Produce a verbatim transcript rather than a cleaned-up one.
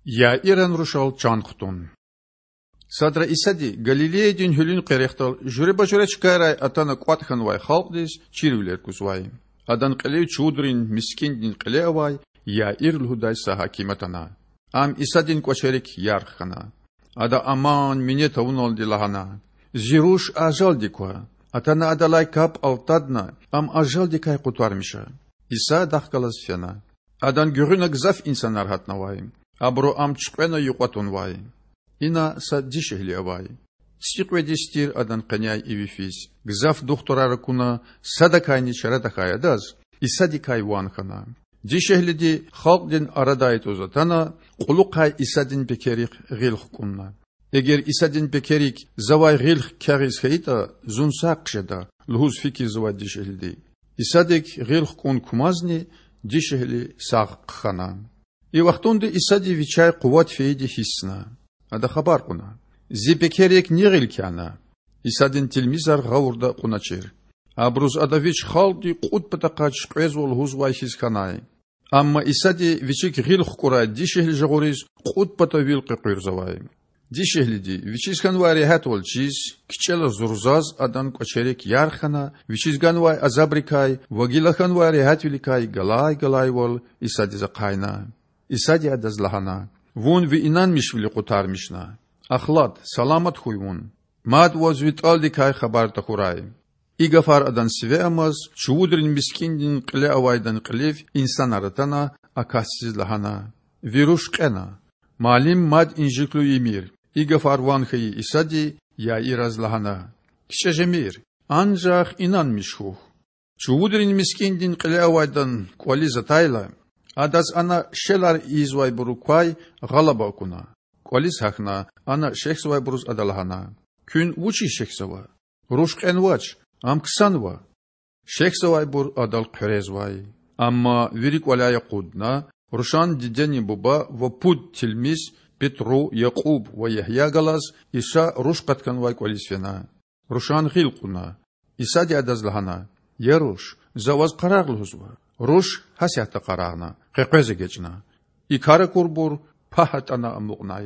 Яиран рушал чан хтун. Садра Исади Галилеядин гьуьлуьн къерехдал жуьреба-жуьре чкайрай атана кӀватӀ хьанвай халкьдиз чирвилер кузвай. Адан кьилив чувудрин мискӀиндин кьиле авай Яир лугьудай са гьаким атана. Ам Исадин кӀвачерик ярх хьана. Ада аман-минет авуналди лагьана: Зи руш ажалди ква. Атана адалай капӀ алтадна, ам ажалдикай къутармиша. Иса адахъ галаз фена. Адан гуьгъуьна гзаф инсанар гьатнавай. Абуру Ам чуькьвена юкьва тунвай. Ина са дишегьли авай. ЦӀикьвед йис тир адан къеняй иви физ. Гзаф духтурар акуна, садакайни чара тахьай адаз Исадикай ван хьана. Дишегьлиди, халкьдин арадай тӀуз атана, кьулухъай Исадин пекерихъ гъил хкӀунна. Эгер Исадин пекерик завай гъил хкягъиз хьайитӀа, зун сагъ хъжеда,– лугьуз фикирзавай дишегьлиди. Исадик гъил хкӀун кумазни дишегьли сагъ хъхьана. И вахтунда Исади Вичяй къуват фейиди гьиссна. Ада хабар кьуна: Зи пекерик ни гъил кяна? Исадин тилмизар гъавурда акьуначир. Абуруз Ада Вич халкьди кьуд патахъай чуькьвезва лугьузвай хьиз хьанай. Амма Исади Вичик гъил хкӀурай дишегьли жагъуриз кьуд пата вил къекъуьрзавай. Дишегьлиди, вичиз хьанвай регьятвал чиз, кичӀела зурзаз Адан кӀвачерик ярх хьана, вичиз ганвай азабрикай ва гила хьанвай регьятвиликай галай-галайвал Исадиз ахъайна. Исади адаз лагьана: Вун ви инанмишвили къутармишна. Ахлад, саламат хьуй вун. Мад ваз ви тӀалдикай хабар тахьурай. И гафар адан сиве амаз, чувудрин мискӀиндин кьиле авайдан кьилив инсанар атана, а касдиз лагьана: Ви руш кьена. Муаллим мад инжиклу ийимир. И гафар ван хьайи Исади Яираз лагьана: КичӀе жемир, анжах инанмиш хьухь. Чувудрин мискӀиндин кьиле авайдан кӀвализ атайла, адаз ана шелар ийизвайбурун квай гъалаба акуна. КӀвализ гьахьна, ана шехьзавайбуруз ада лагьана: Куьн вучиз шехьзава? Руш кьенвач, ам ксанва. Шехьзавайбур адал хъуьрезвай. Амма вири кӀваляй акъудна, рушан дидени буба ва пуд тилмиз– Петру, Якьуб ва Ягья галаз Иса руш къатканвай кӀвализ фена. Рушан гъил кьуна. Исади адаз лагьана: Я руш, За ваз къарагъ лугьузва. Руш гьасятда къарагъна, къекъвез эгечӀна. И кар акурбур пагь атӀана амукьнай.